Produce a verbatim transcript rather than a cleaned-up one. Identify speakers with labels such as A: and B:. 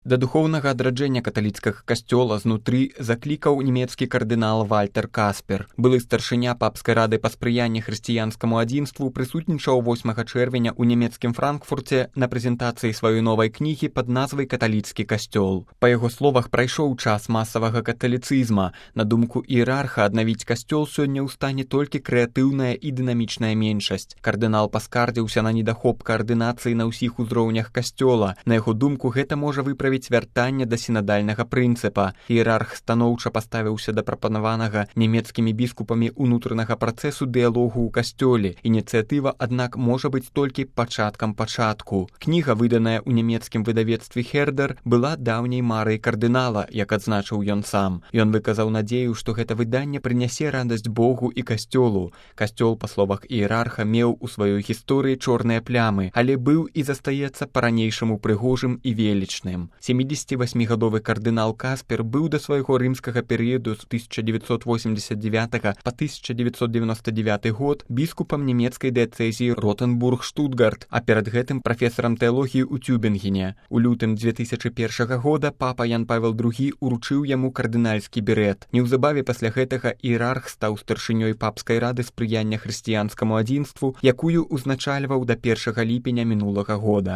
A: Да духоўнага адраджэння каталіцкага касцёла знутры заклікаў нямецкі кардынал Вальтер Каспер. Былы старшыня папскай рады па спрыянні хрысціянскаму адзінству прысутнічаў восьмага чэрвеня ў нямецкім Франкфурце на прэзентацыі сваёй новай кнігі пад назвай «Каталіцкі касцёл». Па яго словах, прайшоў час масавага каталіцызма. На думку іерарха, аднавіць касцёл сёння ў стане толькі крэатыўная і дынамічная меншасць. Кардынал паскардзіўся на недахоп каардынацыі на ўсіх узроўнях касцёла. На яго думку, гэта можа выправіць вяртанне да сінадальнага прынцыпа. Іерарх станоўча паставіўся да прапанаванага нямецкімі біскупамі ўнутранага працэсу дыялогу ў касцёле. Ініцыятыва, аднак, можа быць толькі пачаткам пачатку. Кніга, выданая ў нямецкім выдавецтве Хердер, была даўняй марай кардынала, як адзначыў ён сам. Ён выказаў надзею, што гэта выданне прынясе радасць Богу і касцёлу. Касцёл, па словах іерарха, меў у сваёй гісторыі чорныя плямы, але быў і застаецца па-ранейшаму прыгожым і велічным. сямідзесяцівасьмігадовы кардынал Каспер быў да свайго рымскага перыяду з тысяча дзевяцьсот восемьдесят девятага па тысяча дзевяцьсот девяносто девяты год біскупам нямецкай дыяцэзіі Ротенбург-Штутгарт, а перад гэтым прафесарам тэалогіі ў Тюбінгене. У лютым дзве тысячы першага года папа Ян Павел другі уручыў яму кардынальскі берэт. Неўзабаве пасля гэтага іерарх стаў старшынёй папскай рады спрыяння хрысціянскаму адзінству, якую ўзначальваў да першага ліпеня мінулага года.